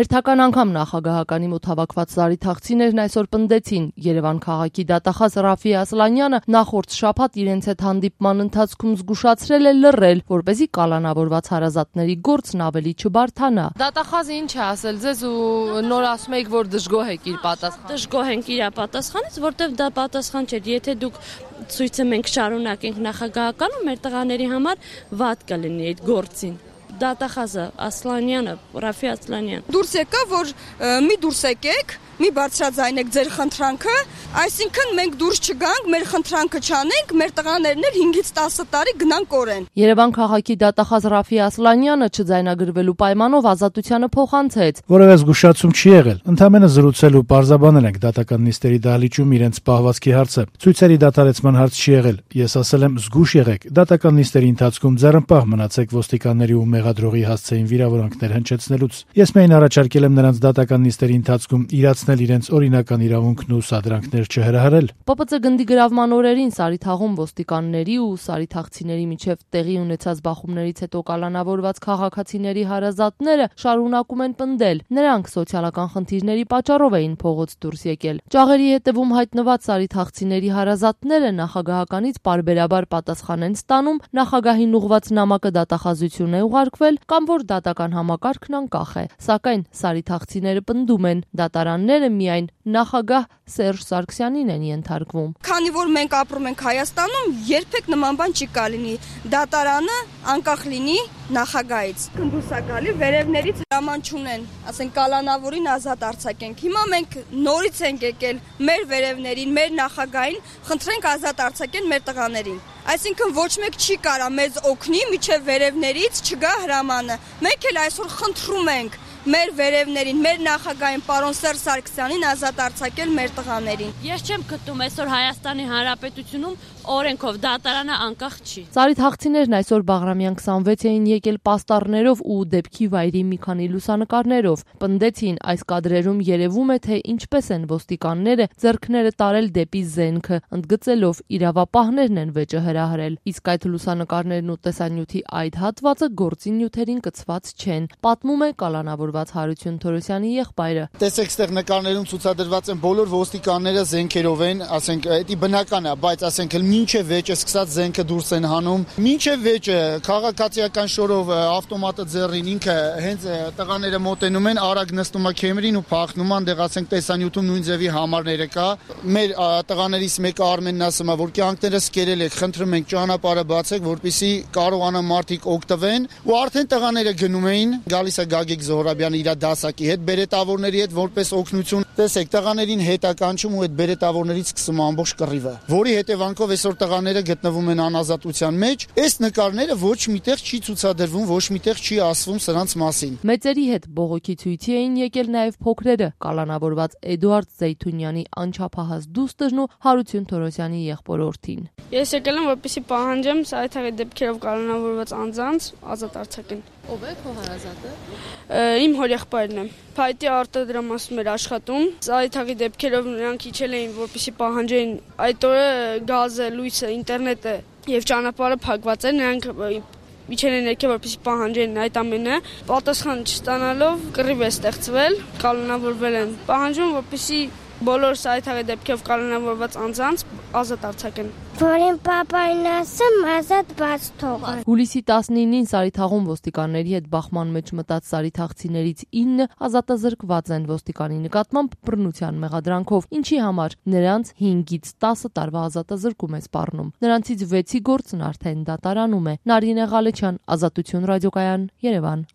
Հերթական անգամ նախագահականի մոտ հավաքված զարիթաղցիներն այսօր պնդեցին Երևան քաղաքի դատախազ Ռաֆի Ասլանյանը նախորդ շաբաթ իրենց հետ հանդիպման ընթացքում զգուշացրել է լռել, որպեսզի կալանավորված հարազատների գործն ավելի չբարթանա։ Դատախազը ինչ է ասել ձեզ ու նոր ասում եք, որ դժգոհ եք իր պատասխանից։ Դժգոհ ենք իր պատասխանից, որտեվ դա պատասխան չէ։ Եթե դուք ցույցը մենք շարունակենք նախագահականում, մեր տղաների համար վատ կլինի այդ գործին։ Դատախազը Ասլանյանը, Ռաֆի Ասլանյան։ Դուրս եկա, որ մի դուրս եկեք, մի բարձրաձայնեք ձեր խնդրանքը, այսինքն մենք դուրս չգանք, մեր խնդրանքը չանենք, մեր տղաներն էլ 5-ից 10 տարի գնան կորեն։ Երևան քաղաքի դատախազ Ռաֆի Ասլանյանը չձայնագրվելու պայմանով ազատությանը փոխանցեց։ Որևէ զգուշացում չի եղել, ընդամենը զրուցել ու պարզաբանել ենք դատական նիստերի դահլիճում իրենց պահվածքի հարցը։ Ցույցերի դադարեցման հարց չի եղել։ Ես ասել եմ զգուշ եղեք, դատական նիստերի ընթացքում ձեռնպահ մնացեք ոստիկանների ու մեղադրողի հասցեին վիրավորանքներ հնչեցնելուց։ Ես միայն առաջարկել եմ նրանց դատական նիստերի ընթացքում իրացնել իրենց օրինական իրավունքն ու սադրանքներ չհրահրել։ ՊՊԾ գնդի գրավման օրերին Սարիթաղում ոստիկանների ու սարիթաղցիների միջև տեղի ունեցած բախումներից հետո կալանավորված քաղաքացիների հարազատները շարունակում են պնդել։ Նրանք սոցիալական խնդիրների պատճառով էին փողոց դուրս եկել։ Ճաղերի հետևում հայտնված սարիթաղցիների հարազատները նախագահականից պարբերաբար պատասխան են ստանում, նախագահին ուղված նամակը դատախազություն է ուղարկվել կամ որ դատական համակարգն անկախ է։ Սակայն սարիթաղցիները պնդում են, դատարանները միայն նախագահ Սերժ Սարգսյանին են ենթարկվում։ Քանի որ մենք ապրում ենք Հայաստանում, երբեք նման բան չի կալինի։ Դատարանը անկախ լինի նախագահից։ Կնդուսակալի վերևներից հրաման չունեն, ասենք կալանավորին ազատ արձակենք։ Հիմա մենք նորից ենք եկել մեր վերևներին, մեր նախագահին, խնդրենք ազատ արձակեն մեր տղաներին։ Այսինքն ոչ մեկ չի կարա մեզ օգնի, միջև վերևներից չգա հրամանը։ Մենք էլ այսօր խնդրում ենք մեր վերևներին, մեր նախագահին պարոն Սերժ Սարգսյանին ազատ արձակել մեր տղաներին։ Ես չեմ գտնում այսօր Հայաստանի Հանրապետությունում օրենքով դատարանը անկախ չի։ Սարիթաղցիներն այսօր Բաղրամյան 26-ին եկել պաստառներով ու դեպքի վայրի մի քանի լուսանկարներով։ Պնդեցին, այս կադրերում երևում է, թե ինչպես են ոստիկանները ձեռքները տարել դեպի զենքը, ընդգծելով իրավապահներն են վեճը հրահրել։ Իսկ այդ լուսանկարներն ու տեսանյութի այդ հատվածը գործի նյութերին կցված չեն, պատմում է կալանավորված Հարություն Թորոսյանի եղբայրը։ Տեսեք, այստեղ նկարներում ցուցադրված են բոլոր ոստիկանները զենքերով են, ասենք, դա բնական է, բայց ասենք մինչև վեճը սկսած զենքը դուրս են հանում, մինչև վեճը քաղաքացիական շորով ավտոմատը ձեռին ինքը հենց տղաները մոտենում են, արագ նստում է քեմերին ու փախնում, այնտեղ ասենք տեսանյութում նույն ձևի համարները կա։ Մեր տղաներից մեկը Արմենն ասում է, որ կյանքներս կերել եք, խնդրում ենք ճանապարհը բացեք, որպեսզի կարողանան մարդիկ օգտվեն, ու արդեն տղաները գնում էին, գալիս է Գագիկ Զոհրաբյանը իր դասակի հետ, բերետավորների հետ որպես օգնություն։ Տեսեք, տղաներին հետ է կանչում ու այդ բերետավորներից սկսում ամբողջ կռիվը, որի հետևանքով այսօր տղաները գտնվում են անազատության մեջ։ Այս նկարները ոչ միտեղ չի ցուցադրվում, ոչ միտեղ չի ասվում սրանց մասին։ Մեծերի հետ բողոքի ցույցի էին եկել նաև փոքրերը, կալանավորված Էդուարդ Զեյթունյանի անչափահաս դուստերն ու Հարություն Թորոսյանի եղբորորդին։ Ես եկել եմ, որպեսզի պահանջեմ սարիթաղի դեպքերով կալանավորված անձանց ազատ արձակեն։ Ո՞վ է քո հարազատը։ Իմ հորեղբայրն է։ Փայտի արտադրամասում էր աշխատում։ Սարիթաղի դեպքերով նրանք իջել էին, որպեսզի պահանջեին այդ օրը գազը, լույսը, ինտերնետը եւ ճանապարհը փակված էր, նրանք իջել են եկել, որպեսզի պահանջեին այդ ամենը։ Պատասխան չստանալով կռիվ է ստեղծվել, կալանավորվել են։ Պահանջում, որպեսզի բոլոր սարիթաղի դեպքերով կալանավորված անձանց ազատ արձակեն։ Որին պապային ասեմ, ազատ բաց թողը։ Հուլիսի 19-ին Սարիթաղում ոստիկանների հետ բախման մեջ մտած սարիթաղցիներից 9 ազատազրկված են ոստիկանի նկատմամբ բռնության մեղադրանքով, ինչի համար նրանց 5-ից 10 տարվա ազատազրկում է սպառնում։ Նրանցից 6-ի գործն արդեն դատարանում է։ Նարինե Ղալեչյան, Ազատություն ռադիոկայան, Երևան։